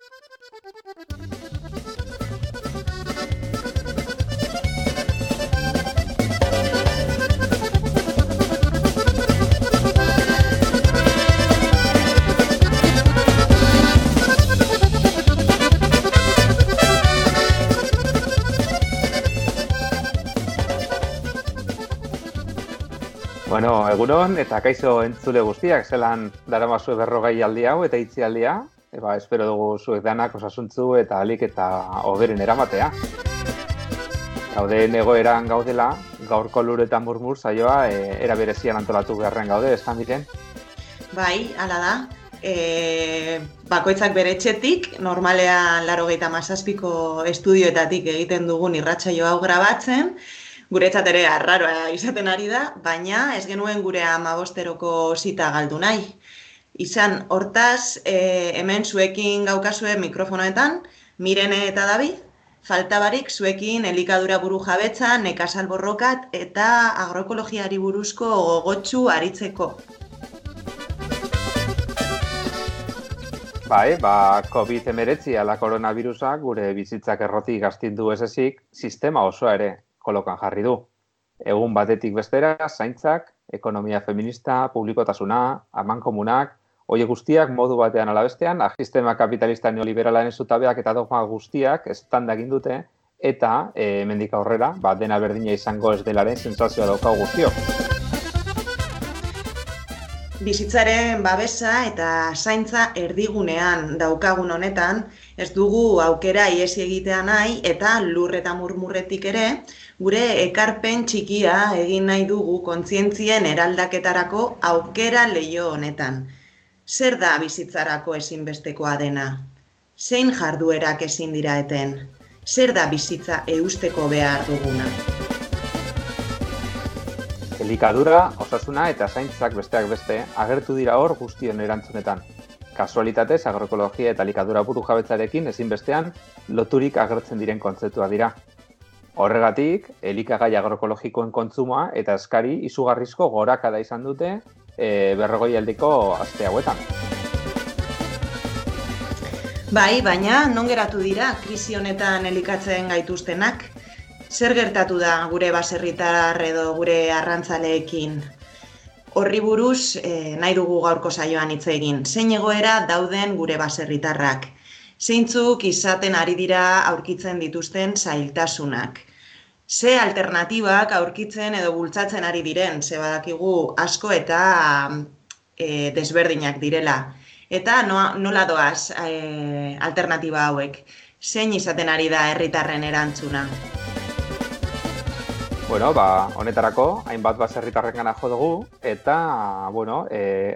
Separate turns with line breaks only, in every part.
Bueno, egunon eta kaixo entzule guztiak, zelan daramazue 40 aldi hau eta itzialdia. Espero dugu zuek danak osasuntzu eta ahalik eta hoberen eramatea. Gauden egoeran gaudela, gaurko Lur eta Murmur saioa era berezian antolatu beharren gaude, ez da miren?
Bai, hala da. Bakoitzak bere etxetik, normalean 97ko estudioetatik egiten dugun irratsaio hau grabatzen. Guretzat ere arraroa izaten ari da, baina ez genuen gure 15eroko zita galdu nahi. Izan, hortaz, hemen zuekin gaukazue mikrofonoetan, Mirene eta David, falta barik zuekin elikadura burujabetza, nekazal borrokat eta agroekologiari buruzko gogotsu aritzeko.
Bai, COVID-19 ala koronavirusak gure bizitzak errotik astindu ez ezik, sistema osoa ere kolokan jarri du. Egun batetik bestera, zaintzak, ekonomia feminista, publikotasuna, amankomunak, horiek guztiak modu batean ala bestean, sistema kapitalista neoliberalaren zutabeak eta dogma guztiak estanda egin dute, eta hemendik aurrera, dena berdina izango ez delaren sentsazioa daukagu guztiok.
Bizitzaren babesa eta zaintza erdigunean daukagun honetan, ez dugu aukera ihes egitea nahi eta Lur eta Murmurretik ere, gure ekarpen txikia egin nahi dugu kontzientzien eraldaketarako aukera leiho honetan. Zer da bizitzarako ezinbestekoa dena? Zein jarduerak ezin dira eten? Zer da bizitza eusteko behar duguna?
Elikadura, osasuna eta zaintzak besteak beste agertu dira hor guztion erantzunetan. Kasualitatez, agroekologia eta elikadura burujabetzarekin ezinbestean loturik agertzen diren kontzeptua dira. Horregatik, elikagai agroekologikoen kontsumoa eta eskari izugarrizko gorakada izan dute 40 aldiko aste hauetan.
Bai, baina non geratu dira krisi honetan elikatzen gaituztenak? Zer gertatu da gure baserritar edo gure arrantzaleekin? Horri buruz nahi dugu gaurko saioan hitz egin. Zein egoera dauden gure baserritarrak? Zeintzuk izaten ari dira aurkitzen dituzten zailtasunak? Ze alternatibak aurkitzen edo bultzatzen ari diren? Ze badakigu asko eta desberdinak direla. Eta nola doaz alternatiba hauek? Zein izaten ari da herritarren erantzuna?
Honetarako, hainbat baserritarrengana jo dugu, eta,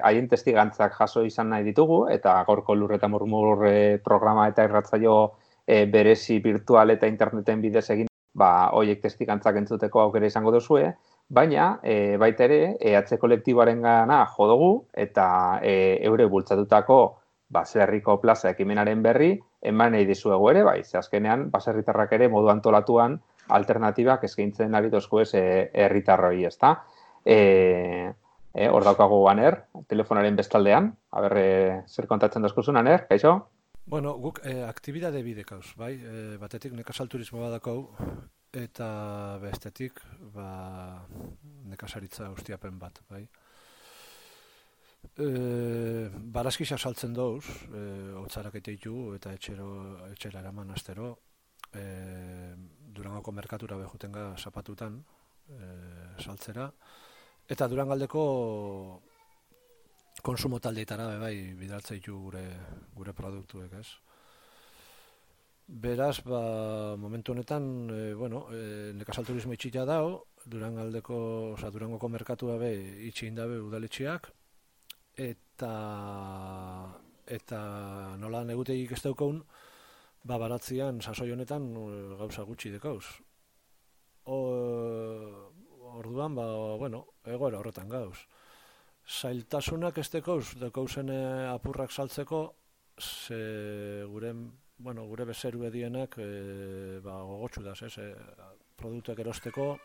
haien testigantzak jaso izan nahi ditugu, eta gaurko Lur eta Murmur programa eta irratsaio berezi virtual eta interneten bidez egin, horiek testigantzak entzuteko aukera izango duzue, baina, baita ere, EH kolektiboarengana jo dugu, eta eure bultzatutako baserriko plaza ekimenaren berri, eman nahi dizuegu ere, ze azkenean, baserritarrak ere modu antolatuan, alternatibak eskaintzen ari dozko ez herritarroi, ezta? Hor daukagu Aner, telefonaren bestaldean, zer kontatzen dozkuzun, Aner, kaixo?
Bueno, guk aktibidade bidekauz, bai? Batetik nekazal turismo badakau, eta bestetik nekazaritza ustiapen bat, bai? Barazkisa saltzen dauz, hotzarak eiteitu eta etxera eraman astero, Durangoko merkatura behutenga zapatutan saltzera, eta Durangaldeko konsumo taldeetara bidaltzeitu gure produktuek, ez? Beraz, momentu honetan, nekazal turismo itxita dao, Durangoko merkatua itxin dabe udaletxeak, eta nola negutegik ez daukaun, baratzean sasoi honetan gauza gutxi dekauz. Orduan, egoera horretan gauz. Zailtasunak ez dekauzen apurrak saltzeko, gure bezeru edienak gogotsu daz, produktuak erosteko,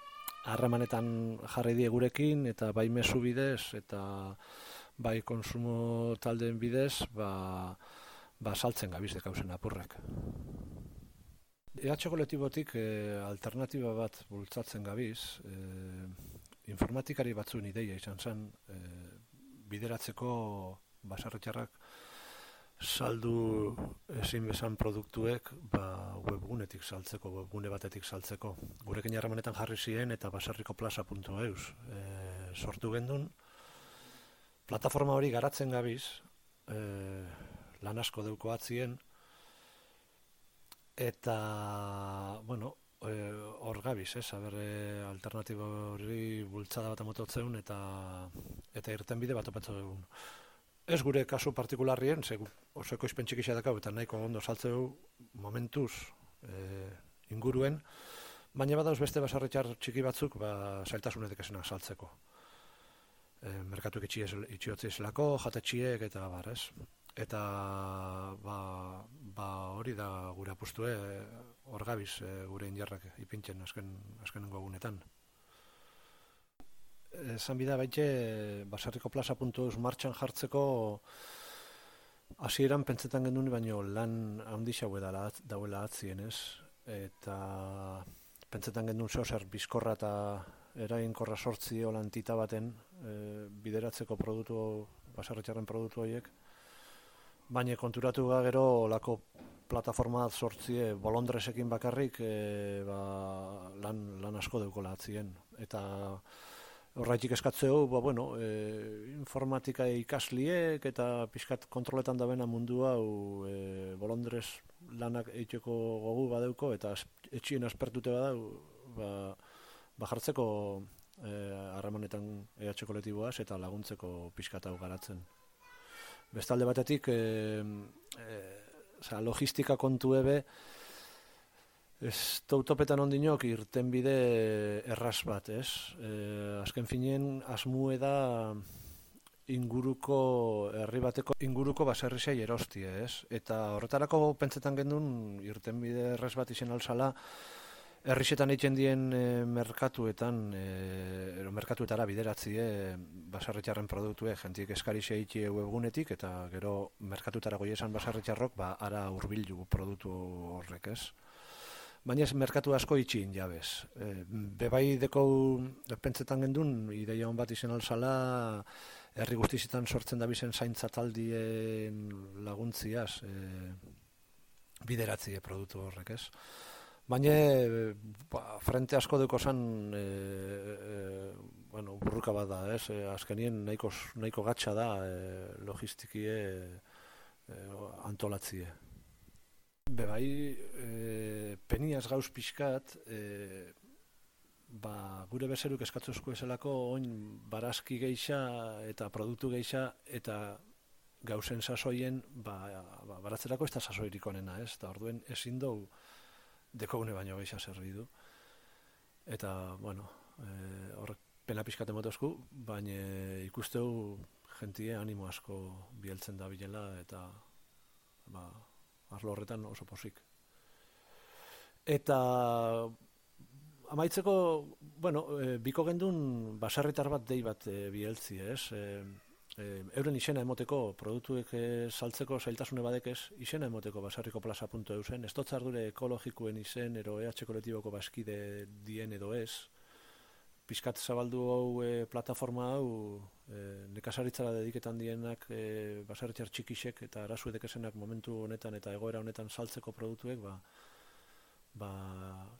harremanetan jarri die gurekin, eta bai mezu bidez, eta bai konsumo taldeen bidez, saltzen gabiz dekauzen apurrek. EH kolektibotik alternatiba bat bultzatzen gabiz, informatikari batzuen ideia izan zen, bideratzeko baserritarrak saldu ezin bezan produktuek webgunetik saltzeko, webgune batetik saltzeko. Gurekin harremanetan jarri ziren eta baserrikoplaza.eus sortu gendun. Plataforma hori garatzen gabiz, lan asko deuko atzien, eta, bueno, hor gabiz, alternatiba hori bultzada bat amototzen eta irtenbide bat opatzo dugun. Ez gure kasu partikularrien, oso ekoizpen txikisa dakau eta nahiko ondo saltzeu momentuz inguruen, baina badauz beste baserritar txiki batzuk zailtasunetik esena saltzeko. Merkatuek itxiotzi ezelako, jatetxiek eta bar, ez? Eta hori da gure apustue, hor gabiz gure indarrak ipintzen azkenengo egunetan. Esan bida baite, baserrikoplaza.eus martxan jartzeko hasieran pentsetan gendun, baino lan handixaue dauela atzien, ez? Eta pentsetan gendun zer bizkorra eta eraginkorra sortzi olantita baten bideratzeko baserritarren produktu horiek, baina konturatu gero olako plataforma sortzie bolondresekin bakarrik lan asko deukola atzien. Eta horraitik eskatzeu, informatika ikasliek eta pixkat kontroletan dabena mundu hau bolondrez lanak eiteko gogu badeuko eta etxien aspertute badau jartzeko harremanetan EH kolektiboaz eta laguntzeko pixkat hau garatzen. Bestalde batetik, logistika kontu ebe, ez tautopetan ondinok irtenbide erraz bat, ez? Azken finien, asmue da herri bateko inguruko baserrisei erostie, ez? Eta horretarako pentsetan gendun irtenbide erraz bat izen alzala, herrixetan egiten dien merkatuetara bideratzie baserritarren produktue, jentik eskarixe egite webgunetik, eta gero merkatutara goiesan baserritarrok, ara hurbildu produktu horrek, ez? Baina ez merkatu asko itxin jabez. Bebai dekou pentsetan gendun, ideia hon bat izen alzala, herri guztizitan sortzen dabizen zaintza taldien laguntziaz bideratzie produktu horrek, ez? Baina frente asko deuko zan burruka bat da, ez? Azkenien nahiko gatsa da logistikie antolatzie. Bebai, peniaz gauz pixkat, gure bezeruk eskatzuzko ezelako oin barazki geixa eta produktu geixa eta gauzen sasoien baratzerako ez da sasoirik onena, ez? Eta orduen ezin dugu dekogune baino geixa zerri du. Eta, horrek pena pixkat emotozku, baina ikusteu jentie animo asko bieltzen da bilela eta arlo horretan oso posik. Eta amaitzeko, biko gendun baserritar bat dei bat bieltzi, ez? Euren izena emoteko, produktuek saltzeko zailtasune badekez, izena emoteko baserrikoplaza.eusen, ez dut ardure ekologikoen izen, ero EH kolektiboko baskide dien edo ez, pixkat zabaldu hau plataforma hau nekazaritzara dediketan dienak baserritar txikisek eta arazu edekesenak momentu honetan eta egoera honetan saltzeko produktuek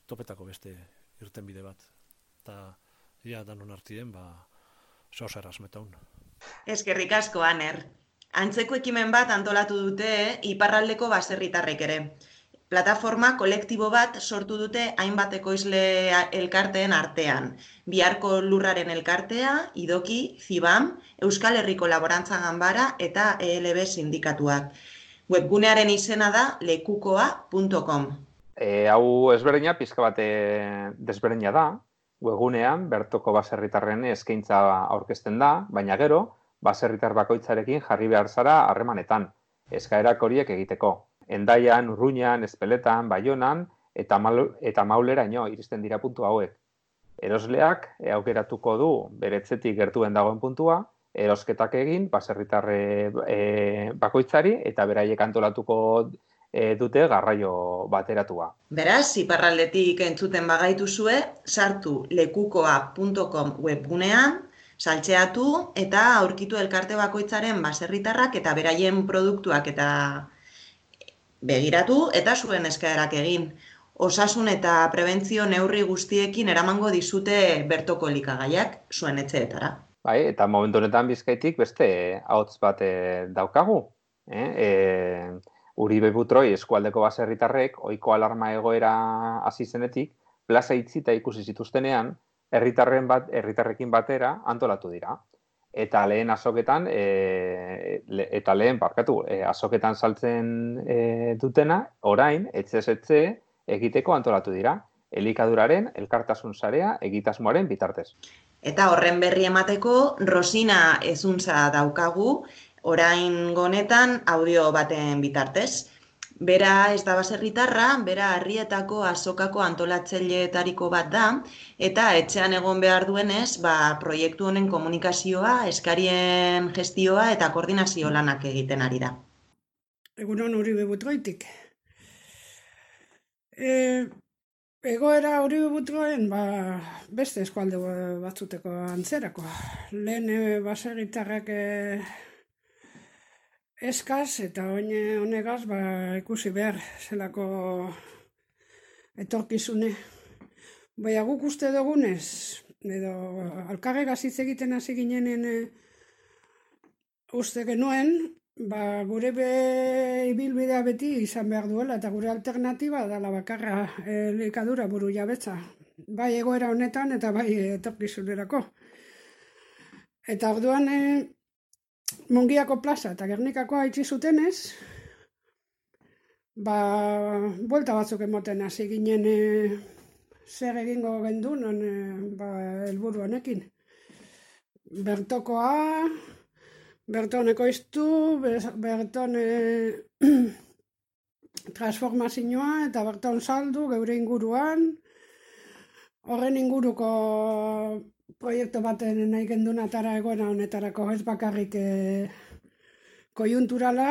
topetako beste irtenbide bat. Eta danon artien zozer asmetaun.
Eskerrik asko, Aner. Antzeko ekimen bat antolatu dute iparraldeko baserritarrek ere. Plataforma kolektibo bat sortu dute hainbat ekoizle elkarteen artean. Biharko Lurraren elkartea, Idoki, Zibam, Euskal Herriko Laborantza Ganbara eta ELB sindikatuak. Webgunearen izena da lekukoa.com.
Hau ezberdina, pizka bat desberdina da. Webgunean, bertoko baserritarren eskaintza aurkezten da, baina gero, baserritar bakoitzarekin jarri behar zara harremanetan, eskaerak horiek egiteko. Endaian, Urruñan, Ezpeletan, Baionan eta Mauleraino iristen dira puntu hauek. Erosleak aukeratuko du bere etxetik gertuen dagoen puntua erosketak egin, baserritarre bakoitzari, eta beraiek antolatuko dute garraio bateratua.
Beraz, iparraldetik entzuten bagaituzue, sartu lekukoa.com webgunean, saltzeatu eta aurkitu elkarte bakoitzaren baserritarrak eta beraien produktuak eta begiratu eta zuen eskaerak egin. Osasun eta prebentzio neurri guztiekin eramango dizute bertoko elikagaiak zuen etxeetara.
Bai, eta momentu honetan Bizkaitik beste ahots bat daukagu. Uribe Butroi eskualdeko baserritarrek ohiko alarma egoera hasi zenetik, plaza itzita ikusi zituztenean, herritarrekin batera antolatu dira. Eta lehen azoketan, azoketan saltzen dutena, orain, etxez etxe egiteko antolatu dira. Elikaduraren elkartasun sarea egitasmoaren bitartez.
Eta horren berri emateko, Rosina Ezuntza daukagu, orain honetan audio baten bitartez. Bera ez da baserritarra, bera Harrietako azokako antolatzaileetariko bat da, eta etxean egon behar duenez, proiektu honen komunikazioa, eskarien gestioa eta koordinazio lanak egiten ari da.
Egunon Uribe Butroitik. Egoera Uribe Butroen beste eskualde batzuteko antzerako. Lehen baserritarrak eskaz eta honegaz ikusi behar zelako etorkizune. Baina guk uste dugunez, edo alkarregaz hitz egiten hasi ginenen uste genuen, gure ibilbidea beti izan behar duela eta gure alternatiba dela bakarra elikadura buru jabetza. Bai egoera honetan eta bai etorkizunerako. Eta orduan Mungiako plaza eta Gernikakoa itxi zutenez, buelta batzuk emoten hasi ginen zer egingo gendun helburu honekin. Bertokoa, berton ekoiztu, berton transformazioa eta berton saldu geure inguruan. Horren inguruko proiektu baten nahi gendun atara egoera honetarako ez bakarrik kojunturala,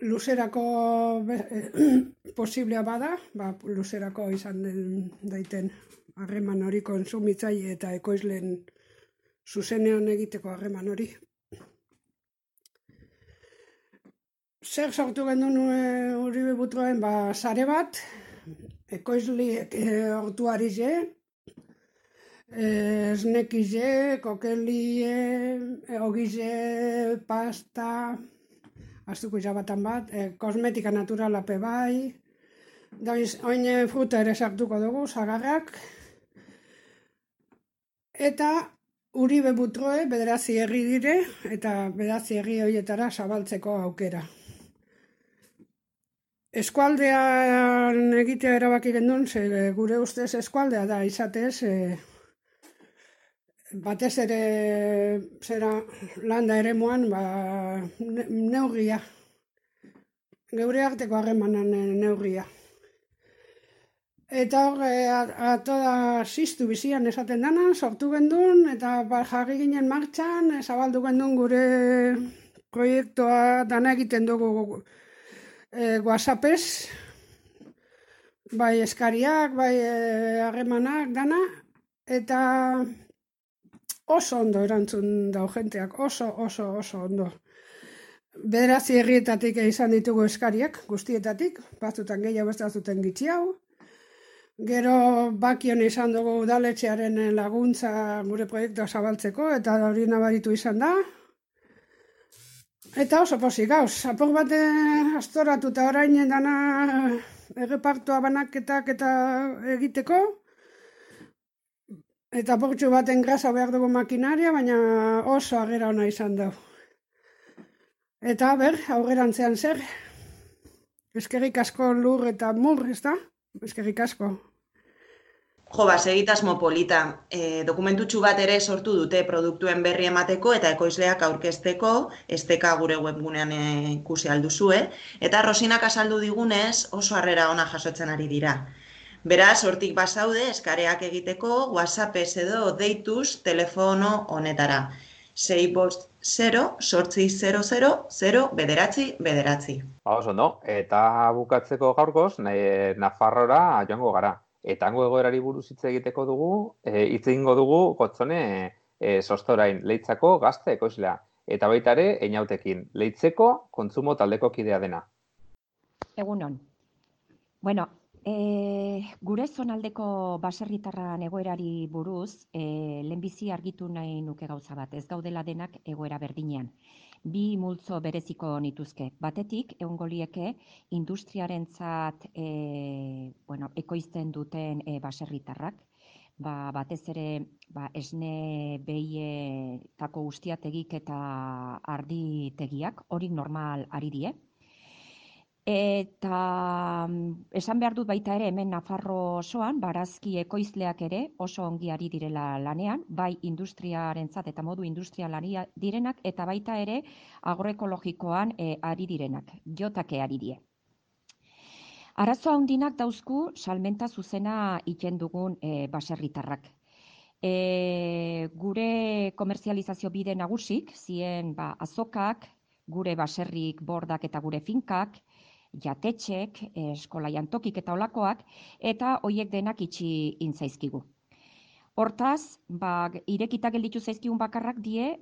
luzerako posiblea bada, luzerako izan daiten harreman hori kontsumitzaile eta ekoizleen zuzenean egiteko harreman hori. Zer sortu gendun Uribe Butroen sare bat, ekoizliek hortuari esnekize, kokelie, ogize, pasta, astuko izabatan bat, kosmetika naturala bai, oin fruta ere sartuko dugu, sagarrak, eta Uribe Butroe bederatzi herri dire, eta bederatzi herri horietara zabaltzeko aukera. Eskualdean egitea erabaki gendun, gure ustez eskualdea da izatez, batez ere landa eremuan neurria, geure arteko harremanan neurria. Eta hor, atoda ziztu bizian esaten dana, sortu gendun, eta jarri ginen martxan, zabaldu gendun gure proiektua dana egiten dugu WhatsAppez, bai eskariak, bai harremanak dana, eta oso ondo erantzun dau jenteak, oso ondo. Bederatzi herrietatik izan ditugu eskariak, guztietatik, batzutan gehiago beste batzuten gitxiago. Gero bakion izan dugu udaletxearen laguntza gure proiektua zabaltzeko, eta hori nabaritu izan da. Eta oso pozik gauz, apur bat astoratu eta orain dana errepartua banaketak eta egiteko. Eta portxu baten grasa behar dugu makinaria, baina oso agera ona izan dugu. Eta aurrerantzean zer? Eskerrik asko lur eta mur, ez da? Eskerrik asko.
Segitasmo polita. Dokumentutxu bat ere sortu dute produktuen berri emateko eta ekoizleak aurkezteko, esteka gure webgunean ikusi alduzue, eta Rosinak azaldu digunez oso harrera ona jasotzen ari dira. Beraz, hortik bazaude eskareak egiteko WhatsAppez edo deituz telefono honetara. 650-800-0
Oso, no? Eta bukatzeko gaurkoz, Nafarrora joango gara. Eta hango egoerari buruz hitz egiteko dugu, hitz egingo dugu Gotzone Sostorain, Leitzako gazte ekoizlea. Eta baita ere, Einautekin, Leitzeko kontsumo taldeko kidea dena.
Egunon. Bueno, gure zonaldeko baserritarran egoerari buruz, lehenbizi argitu nahi nuke gauza bat, ez gaudela denak egoera berdinean. Bi multzo bereziko nituzke. Batetik, egongo lieke industriarentzat ekoizten duten baserritarrak, batez ere esne behietako ustiategik eta arditegiak, horik normal ari die. Eta esan behar dut baita ere hemen Nafarro osoan, barazki ekoizleak ere oso ongi ari direla lanean, bai industriarentzat eta modu industrial ari direnak, eta baita ere agroekologikoan ari direnak, jotake ari die. Arazo handinak dauzku salmenta zuzena iten dugun baserritarrak. Gure komerzializazio bide nagusik, zien azokak, gure baserrik bordak eta gure finkak, jatetxek, eskola jantokik eta olakoak, eta hoiek denak itxi intzaizkigu. Hortaz, irekita gelditu zaizkigun bakarrak die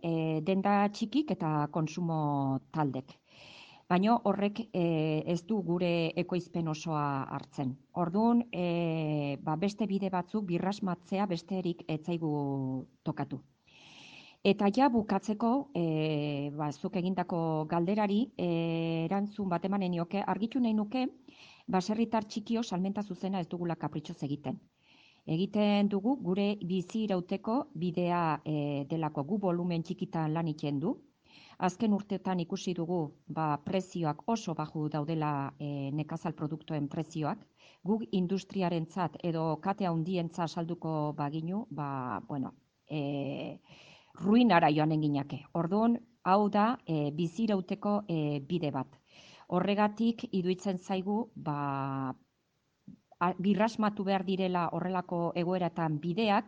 denda txikik eta konsumo taldek. Baina horrek ez du gure ekoizpen osoa hartzen. Orduan, beste bide batzuk birrasmatzea besterik etzaigu tokatu. Eta ja bukatzeko, zuk egindako galderari, erantzun bat emanen nioke, argitu nahi nuke, baserritar txikio salmenta zuzena ez dugula kapritxoz egiten. Egiten dugu gure bizi irauteko bidea delako, gu volumen txikitan lan iten du. Azken urteetan ikusi dugu prezioak oso baju daudela nekazal produktuen prezioak. Guk industriarentzat edo kate handientzat salduko baginu, ruinara joanen ginake. Orduan, hau da bizirauteko bide bat. Horregatik iruditzen zaigu birrasmatu behar direla horrelako egoeratan bideak,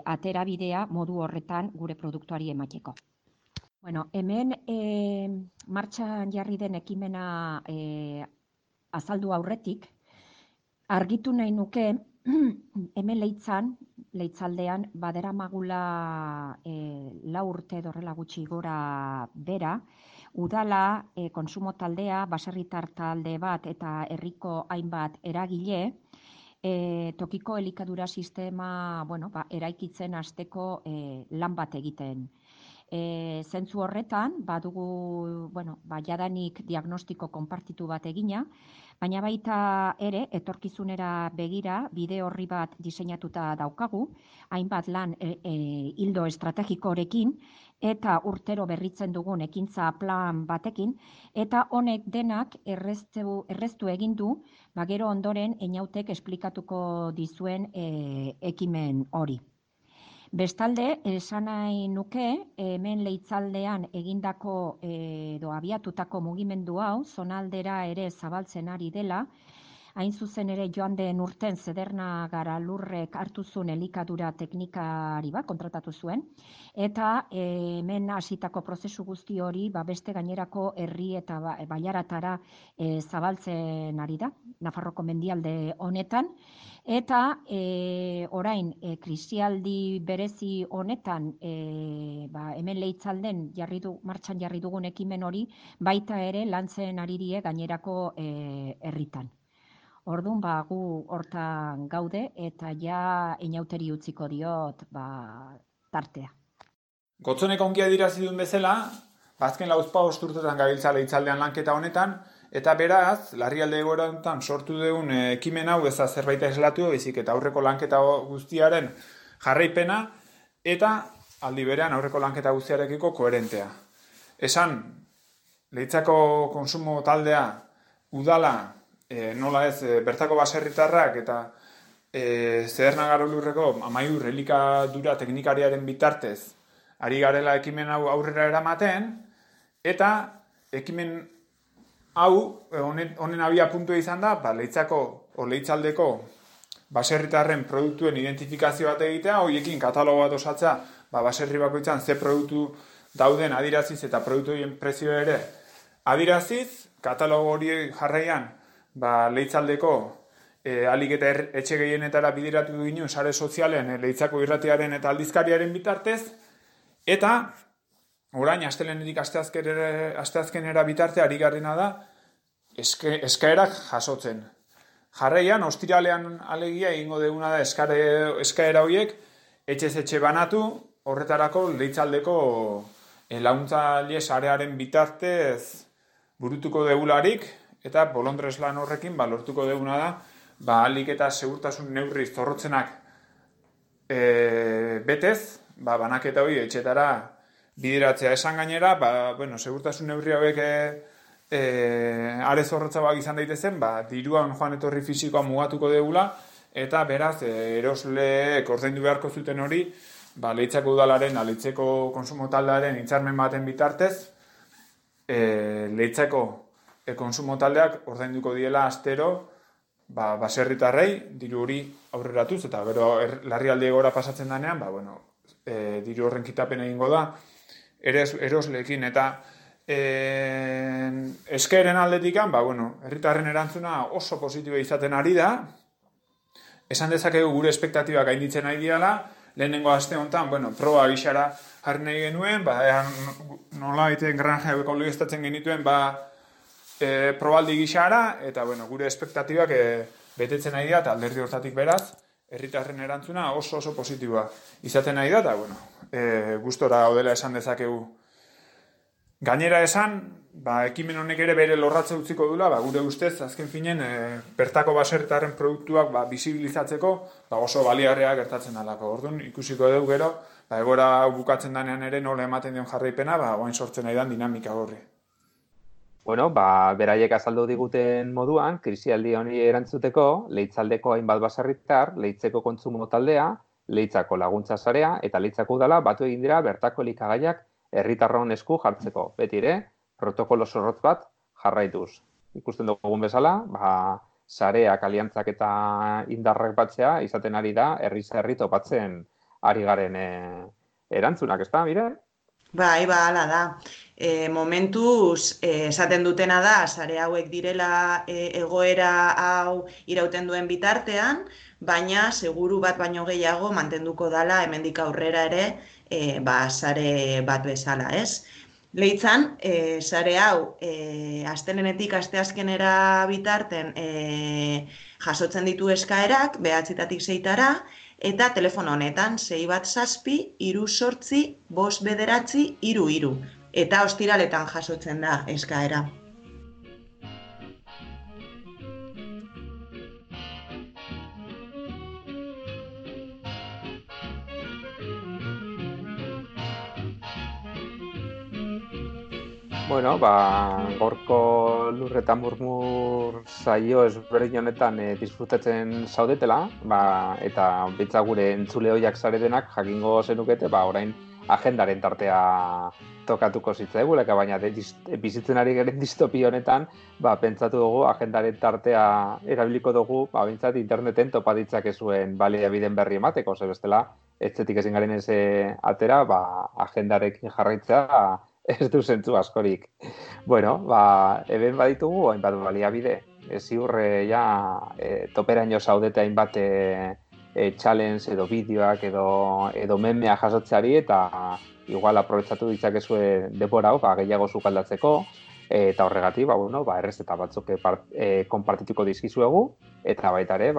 atera bidea modu horretan gure produktuari emateko. Bueno, hemen martxan jarri den ekimena azaldu aurretik, argitu nahi nuke hemen Leitzaldean baderamagula 4 urte horrela gutxi gora bera, udala, konsumo taldea, baserritar talde bat eta herriko hainbat eragile, tokiko elikadura sistema eraikitzen hasteko lan bat egiten. Zentzu horretan, badugu jadanik diagnostiko konpartitu bat egina, baina baita ere, etorkizunera begira, bide horri bat diseinatuta daukagu, hainbat lan ildo estrategikorekin, eta urtero berritzen dugun ekintza plan batekin, eta honek denak erreztu egin du, gero ondoren Einautek esplikatuko dizuen ekimen hori. Bestalde, esan nahi nuke, hemen Leitzaldean egindako edo abiatutako mugimendu hau, zonaldera ere zabaltzen ari dela, hain zuzen ere joan den urten Zederna Garalurrek hartu zuen elikadura teknikari bat kontratatu zuen, eta hemen hasitako prozesu guzti hori beste gainerako herri eta bailaratara zabaltzen ari da, Nafarroko mendialde honetan, eta orain krisialdi berezi honetan hemen Leitzalden martxan jarri dugun ekimen hori baita ere lantzen ari die gainerako herritan. Orduan gu hortan gaude eta ja Einauteri utziko diot tartea.
Gotzonek ongi adierazi duen bezala, azken 4 urtetan gabiltza Leitzaldean lanketa honetan, eta beraz, larrialdi egoera honetan sortu dugun ekimen hau ez da zerbait aislatu, baizik eta aurreko lanketa guztiaren jarraipena, eta aldi berean aurreko lanketa guztiarekiko koherentea. Esan, Leitzako konsumo taldea, udala, nola ez, bertako baserritarrak eta Zederna Garalurreko Amaiur elikadura teknikariaren bitartez ari garela ekimen hau aurrera eramaten, eta ekimen hau, honen abia puntua izan da, Leitzaldeko baserritarren produktuen identifikazio bat egitea, horiekin katalogo bat osatzea baserri bakoitzan ze produktu dauden adiraziz eta produktu horien prezio ere adiraziz, katalogo hori jarraian Leitzaldeko alik eta etxe gehienetara bideratu ginen sare sozialen Leitzako irratiaren eta aldizkariaren bitartez, eta orain astelenetik asteazkenera bitarte ari garrena da eskaerak jasotzen. Jarraian, ostiralean alegia egingo duguna da eskaera horiek etxez etxe banatu, horretarako Leitzaldeko laguntzaile sarearen bitartez burutuko degularik, eta bolondres lan horrekin lortuko deguna da alik eta segurtasun neurri zorrotzenak betez, banaketa hori etxetara bideratzea esan gainera, segurtasun neurri hauek are zorrotzagoak izan daitezen, diruan joan etorri fisikoa mugatuko degula, eta beraz, erosleek ordaindu beharko zuten hori, Leitzako udalaren, Leitzeko konsumo taldearen hitzarmen baten bitartez, Leitzako konsumo taldeak ordainduko diela astero, baserritarrei diru hori aurreratuz, eta gero larrialdi egoera pasatzen danean, diru horren kitapen egingo da, erosleekin, eta eskaeren aldetikan, herritarren erantzuna oso positiboa izaten ari da, esan dezakegu gure espektatibak gainditzen ari diala, lehenengo aste honetan, proba gixara jarri nahi genuen, nola egiten granja ekologistatzen genituen, probaldi gixara, eta gure espektatibak betetzen nahi da, eta alderdi hortatik beraz, herritarren erantzuna oso positiboa izaten nahi da, eta gustora gaudela esan dezakegu. Gainera esan, ekimen honek ere bere lorratze utziko dula, gure ustez, azken finen, bertako baserritarren produktuak bisibilizatzeko oso baliarrea gertatzen dalako. Orduan, ikusiko dugu gero, egora bukatzen danean ere nola ematen dion jarraipena, oain sortzen nahi dan dinamika horri.
Bueno, beraiek azaldu diguten moduan, krisialdi honi erantzuteko, Leitzaldeko hainbat baserritar, Leitzeko kontsumo taldea, Leitzako laguntza sarea eta Leitzako udala batu egin dira bertako elikagaiak herritarron esku jartzeko. Beti ere, protokolo zorrotz bat jarraituz. Ikusten dugun bezala, sareak, aliantzak eta indarrak batzea izaten ari da herri topatzen ari garen erantzunak, ez da, Miren?
Hala da. Momentuz, esaten dutena da, sare hauek direla egoera hau irauten duen bitartean, baina seguru bat baino gehiago mantenduko dala hemendik aurrera ere sare bat bezala, ez? Leitzan, sare hau astelenetik asteazkenera bitarten jasotzen ditu eskaerak, 9-tatik 6-tara, eta telefono honetan 617-3 8-5 eta ostiraletan jasotzen da eskaera.
Bueno, gorko lur eta murmur saio ezberdin honetan disfrutatzen zaudetela, eta bitza gure entzule hoiak zaretenak jakingo zenukete, orain agendaren tartea tokatuko zitzaiguleka, baina bizitzen ari garen distopia honetan, pentsatu dugu agendaren tartea erabiliko dugu, bintzat interneten topa ditzakezuen baliabideen berri emateko, bestela, etxetik ezin garen ez atera, agendarekin jarraitzea ez du zentzu askorik. Bueno, eben baditugu, hainbat baliabide, ziurre toperaino zaudete hainbat challenge edo bideoak edo memea jasotzeari, eta igual aprobetsatu ditzakezue denbora hau, gehiago sukaldatzeko, eta horregatik, errezeta batzuk konpartituko dizkizuegu, eta baita ere,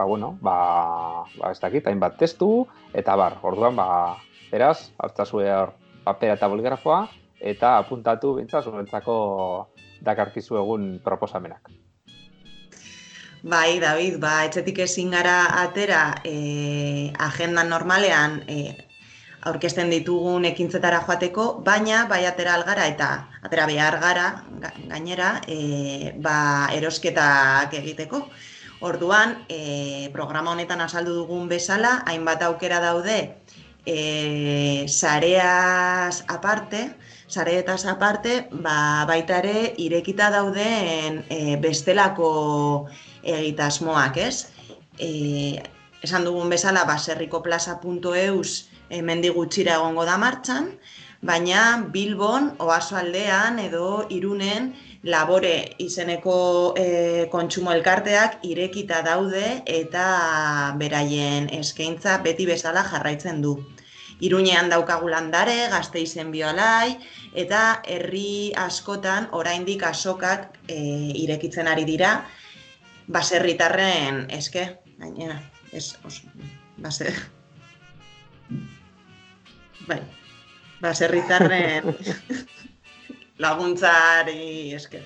ez dakit, hainbat testu, eta orduan, beraz, hartzazue papera eta bolgrafoa, eta apuntatu bintzaz, zurentzako dakarkizu egun proposamenak.
David, etxetik ezin gara atera agendan normalean aurkezten ditugun ekintzetara joateko, baina atera algara eta atera behar gara gainera erosketak egiteko. Orduan, programa honetan azaldu dugun bezala, hainbat aukera daude sareetaz aparte, baita ere irekita dauden bestelako egitasmoak, ez? Esan dugun bezala, baserrikoplaza.eus hemendik gutxira egongo da martxan, baina Bilbon, Oasoaldean edo Irunen Labore izeneko kontsumo elkarteak irekita daude eta beraien eskaintza beti bezala jarraitzen du. Iruñean daukagu Landare, Gasteizen Biolai, eta herri askotan oraindik azokak irekitzen ari dira, baserritarren eske, gainera, ez oso, baserritarren laguntzari eske.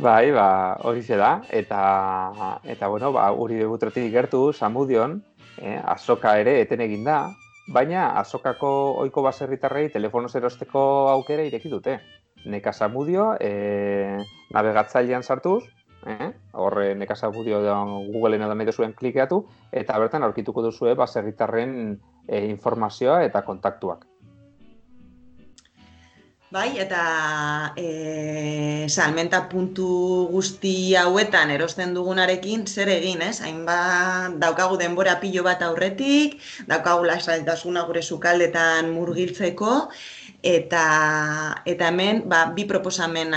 Bai, horixe da, eta bueno, Uribe Butretik gertu, Zamudion, azoka ere eten egin da, baina azokako ohiko baserritarrei telefonoz erosteko aukera ireki dute. Neka Zamudio, navegatzailean sartuz, horre Neka Zamudio Googleen edo nahi duzuen klikeatu, eta bertan aurkituko duzue baserritarren informazioa eta kontaktuak.
Bai, eta salmenta puntu guzti hauetan erosten dugunarekin zer egin, ez? Hainbat daukagu denbora pilo bat aurretik, daukagu lasaitasuna gure sukaldetan murgiltzeko, eta hemen bi proposamen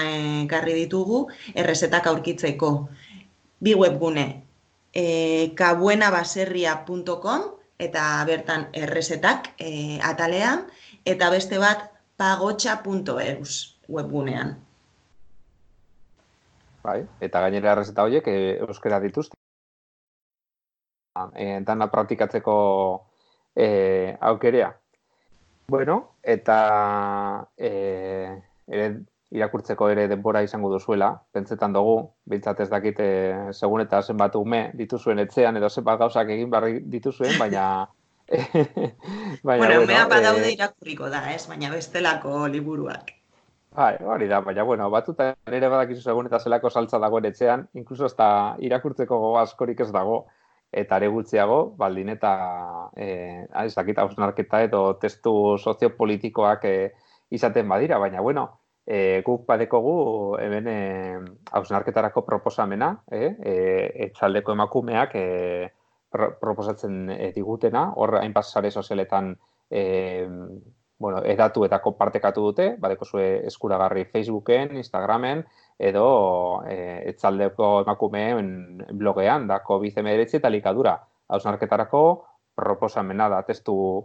ekarri ditugu errezetak aurkitzeko. Bi webgune, kabuenabaserria.com eta bertan errezetak atalean, eta beste bat pagotxa.eus webgunean.
Bai, eta gainera errezeta horiek euskera dituzte. Dana praktikatzeko aukerea. Bueno, eta irakurtzeko ere denbora izango duzuela, pentsetan dugu, bintzat ez dakit segun eta zenbat ume dituzuen etxean edo zenbat gauzak egin barri dituzuen, baina
bueno, mea badaude irakurriko da, ez? Baina bestelako liburuak.
Bai, hori da, baina, bueno, batuta ere badakizu segun eta zelako saltza dagoen etxean, inkluso ez da irakurtzeko gogo askorik ez dago, eta are gutxiago, baldin eta, ez dakit, hausnarketa edo testu soziopolitikoak izaten badira, baina, bueno, guk badekogu hemen hausnarketarako proposamena, etxaldeko emakumeak proposatzen digutena, hor hainbat sare sozialetan edatu eta konpartekatu dute, badekozue eskuragarri Facebooken, Instagramen, edo etxaldeko emakumeen blogean, da COVID-19 eta likadura. Hausnarketarako proposamena da testu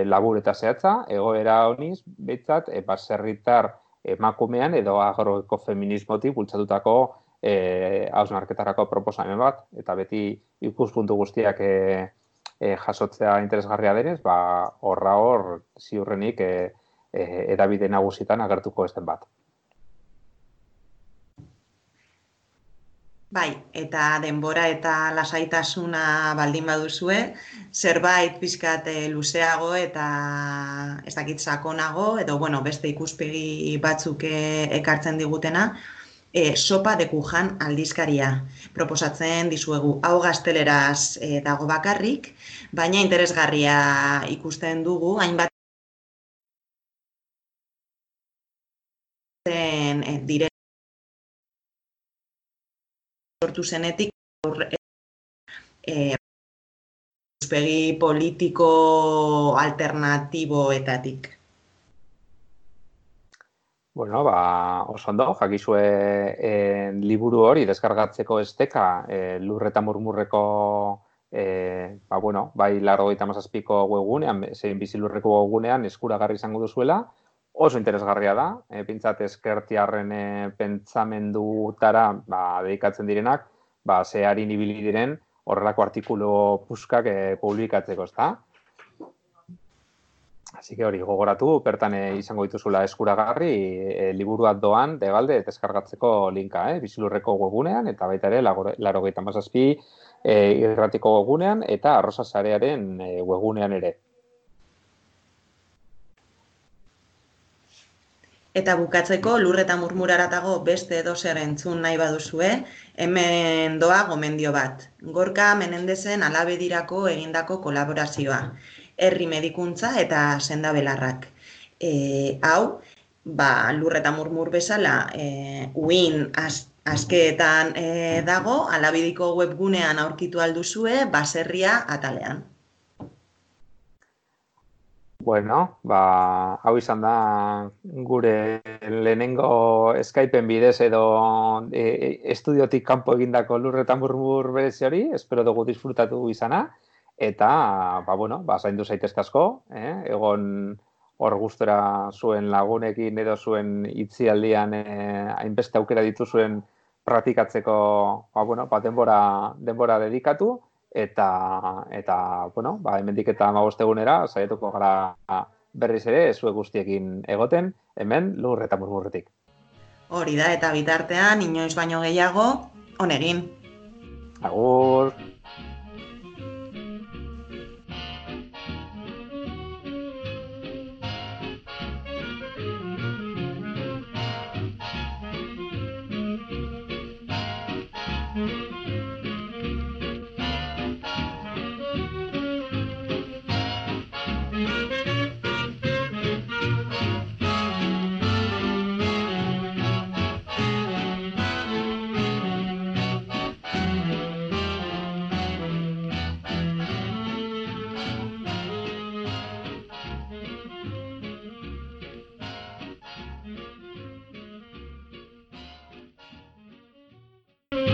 labur eta zehatza, egoera honiz, behintzat, baserritar emakumean edo agroekofeminismotik bultzatutako hausnarketarako proposamen bat, eta beti ikuspuntu guztiak jasotzea interesgarria denez, hor ziurrenik edabide nagusitan agertuko ez den bat.
Bai, eta denbora eta lasaitasuna baldin baduzue, zerbait pixkat luzeago eta ez dakit sakonago, edo beste ikuspegi batzuk ekartzen digutena, Sopa de Kujan aldizkaria proposatzen dizuegu. Hau gazteleraz dago bakarrik, baina interesgarria ikusten dugu, hainbat dire sortu zenetik ikuspegi politiko alternatiboetatik.
Bueno, oso ondo, jakizue liburu hori deskargatzeko esteka Lur eta Murmurreko bai 97ko webgunean, zein Bizilurreko webgunean eskuragarri izango duzuela, oso interesgarria da, pintzat ezkertiarren pentsamendutara dedikatzen direnak, zeharin ibili diren horrelako artikulu puskak publikatzeko, ezta? Así que hori gogoratu, bertan izango dituzula eskuragarri, liburuak doan, degalde, deskargatzeko linka, Bizilurreko webgunean, eta baita ere, 97 irratiko webgunean, eta Arrosa Sarearen webgunean ere.
Eta bukatzeko, Lur eta Murmuraratago beste edozer entzun nahi baduzue, hemen doa gomendio bat. Gorka Menendezen Alabedirako egindako kolaborazioa. Herri medikuntza eta sendabelarrak. Hau, Lur eta Murmur bezala, uin askeetan dago, Alabediko webgunean aurkitu alduzue, baserria atalean.
Bueno, hau izan da gure lehenengo Skypeen bidez edo estudiotik kanpo egindako lurretan murmur berezi hori, espero dugu disfrutatu izana, eta, zaindu zaitezke asko, egon hor gustora zuen lagunekin edo zuen itzialdian hainbeste aukera dituzuen praktikatzeko denbora dedikatu, eta hemendik eta 15 egunera saiatuko gara berriz ere zuek guztiekin egoten, hemen lur eta murmurretik.
Hori da, eta bitartean, inoiz baino gehiago, on egin.
Agur!